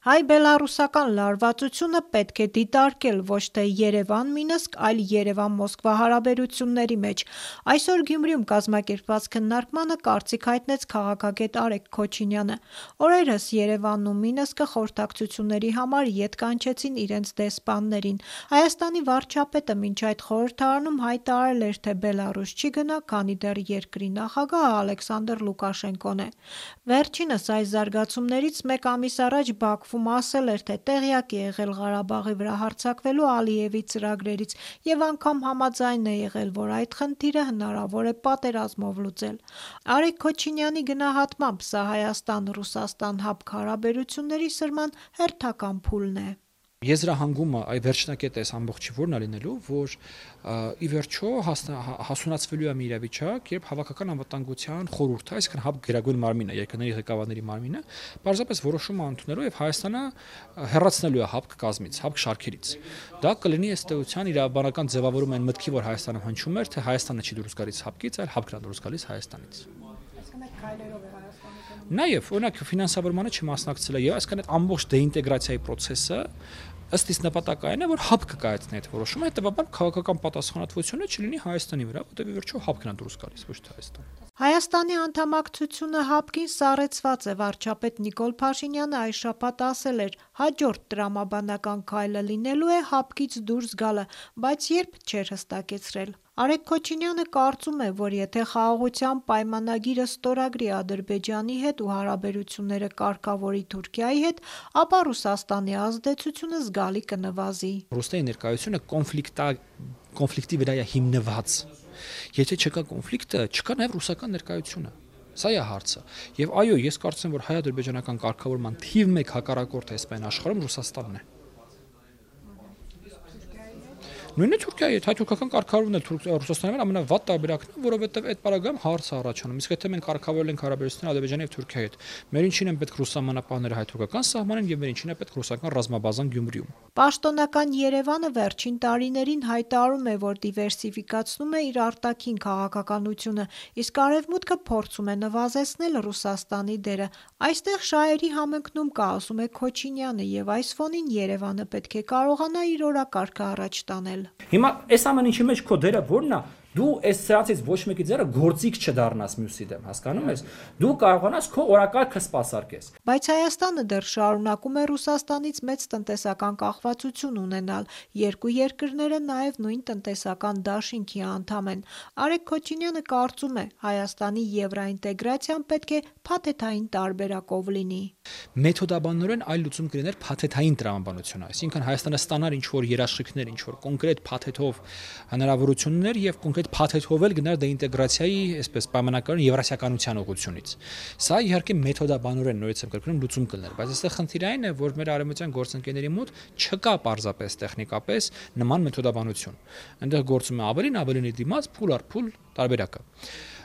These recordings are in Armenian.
Հայ-բելառուսական լարվածությունը պետք է դիտարկել ոչ թե Երևան-Մինսկ, այլ Երևան-Մոսկվա հարաբերությունների մեջ։ Այսօր Գյումրիում կազմակերպված քննարկմանը կարծիք հայտնեց քաղաքագետ Արեգ Քոչինյանը։ Օրերս Երևանն ու Մինսկը խորհրդակցությունների համար ետ կանչեցին իրենց դեսպաններին։ Հայաստանի վարչապետը մինչ այդ խորհրդարանում հայտարարել էր, թե Բելառուս չի գնա, քանի դեռ երկրի նախագահը Ալեքսանդր Լուկաշենկոն է։ Վերջինս այս զարգացումներից մեկ ամիս առաջ Բաքվում ասել էր, թե տեղյակ է եղել Ղարաբաղի վրա հարձակվելու Ալիևի ծրագրերից և անգամ համաձայն է եղել, որ այդ խնդիրը հնարավոր է պատերազմով լուծել։ Արեգ Քոչինյանի գնահատմամբ սա Հայաստան-Ռուսաստան հապկ հարաբերությունների սրման հերթական փուլն է։ Եզրահանգումը այ վերջնակետը այս ամբողջի որն է լինելու, որ ի վերջո հասունացվելու է մի իրավիճակ, երբ հավաքական անվտանգության խորհուրդը, այսինքն հապկ գերագույն մարմինը, երկրների ղեկավարների մարմինը, պարզապես որոշում է ընդունելու եւ Հայաստանը հեռացնելու է հապկ կազմից, հապկ շարքերից։ Դա կլինի ըստ էության իրավաբանական ձևավորում այն մտքի, որ Հայաստանը հնչում էր, թե Հայաստանը չի դուրս գալիս հապկից, այլ հապկն է դուրս գալիս Հայաստանից։ Նաև օրինակ ֆինանսավորմանը չմասնակցել է եւ այսքան այդ ամբողջ դեինտեգրացիայի process-ը ըստ իս նպատակային է, որ հապկ կայացնի այդ որոշումը, հետեւաբար քաղաքական պատասխանատվությունը չլինի Հայաստանի վրա, որտեղ ի վերջո հապկն է դուրս գալիս, ոչ թե Հայաստանը։ Հայաստանի անդամակցությունը հապկին սառեցված է։ Վարչապետ Նիկոլ Փաշինյանը այս շաբաթ ասել էր, հաջորդ տրամաբանական քայլը լինելու է հապկից դուրս գալը, բայց երբ չէր հստակեցրել։ Արեգ Քոչինյանը կարծում է, որ եթե խաղաղության պայմանագիրը ստորագրի Ադրբեջանի հետ ու հարաբերությունները կարգավորի Թուրքիայի հետ, ապա Ռուսաստանի ազդեցությունը զգալի կնվազի։ Ռուսաստանի ներկայությունը կոնֆլիկտի վրա է հիմնված։ Եթե չկա կոնֆլիկտը, չկա նաև ռուսական ներկայությունը։ Սա է հարցը։ Եվ այո, ես կարծում եմ, որ հայ-ադրբեջանական կարգավորման թիվ 1 հակառակորդը այսպես աշխարհում Ռուսաստանն է։ Նույնը Թուրքիայի հետ հայ-թուրքական կարգավորումն էլ Ռուսաստանի համար ամենավատ տարբերակն է, որովհետև այդ պարագայում հարց է առաջանում։ Իսկ եթե մենք կարգավորել ենք հարաբերությունները Ադրբեջանի եւ Թուրքիայի հետ, մեր ինչին են պետք ռուս սահմանապահները հայ-թուրքական սահմանին եւ մեր ինչին է պետք ռուսական ռազմաբազան Գյումրիում։ Պաշտոնական Երևանը վերջին տարիներին հայտարարում է, որ դիվերսիֆիկացնում է իր արտաքին քաղաքականությունը, իսկ Արևմուտքը փորձում է նվազեցնել Ռուսաստանի դերը։ Այստեղ շահերի համընկնում կա, ասում է Քոչինյանը, եւ այս ֆոնին Երևանը պետք է կարողանա իր օրակարգը առաջ տանել։ Հիմա այս ամեն ինչի մեջ քո դերը ո՞րն է։ Դու այս սրանցից ոչ մեկի ձեռը գործիք չդառնաս մյուսի դեմ, հասկանում ես։ Դու կարողանաս քո օրակարգը սպասարկես։ Բայց Հայաստանը դեռ շարունակում է Ռուսաստանից մեծ տնտեսական կախվածություն ունենալ։ Երկու երկրները նաև նույն տնտեսական դաշինքի անդամ են։ Արեգ Քոչինյանը կարծում է, Հայաստանի եվրոինտեգրացիան պետք է փաթեթային տարբերակով լինի։ Մեթոդաբանորեն այլ լուծում կլիներ փաթեթային տրամաբանությունը, այսինքն Հայաստանը ստանար ինչ-որ երաշխիքներ, ինչ-որ կոնկրետ փաթեթով հնարավորություններ եւ կոնկրետ փաթեթով էլ գնար դեինտեգրացիայի, այսպես պայմանականորեն եվրասիականության ուղղությունից։ Սա իհարկե մեթոդաբանորեն նորից եմ կրկնում լուծում կլիներ, բայց այստեղ խնդիրը այն է, որ մեր արևմտյան գործընկերների մոտ չկա պարզապես տեխնիկապես նման մեթոդաբանություն։ Այնտեղ գործում է ավելինի դիմաց փուլ առ փուլ տարբերակը։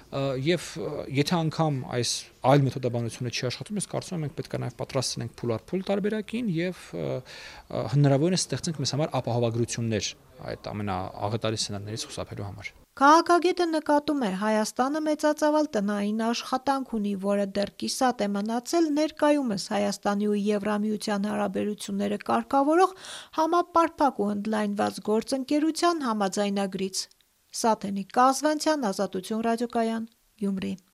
Եվ եթե անգամ այս այլ մեթոդաբանությունը չի աշխատում, ես կարծում եմ մենք պետք է նաև պատրաստ լինենք փուլ առ փուլ տարբերակին եւ հնարավորինս ստեղծենք մեզ համար ապահովագրություններ այդ ամենաաղետալի սցենարներից խուսափելու համար։ Քաղաքագետը նկատում է, Հայաստանը մեծածավալ տնային աշխատանք ունի, որը դեռ կիսատ է մնացել ներկայումս Հայաստանի ու Եվրամիության հարաբերությունները կարգավորող համապարփակ ու ընդլայնված գործընկերության համաձայնագրից։ Սաթենիկ Կազվանցյան, Ազատություն ռադիոկայան, Գյումրի։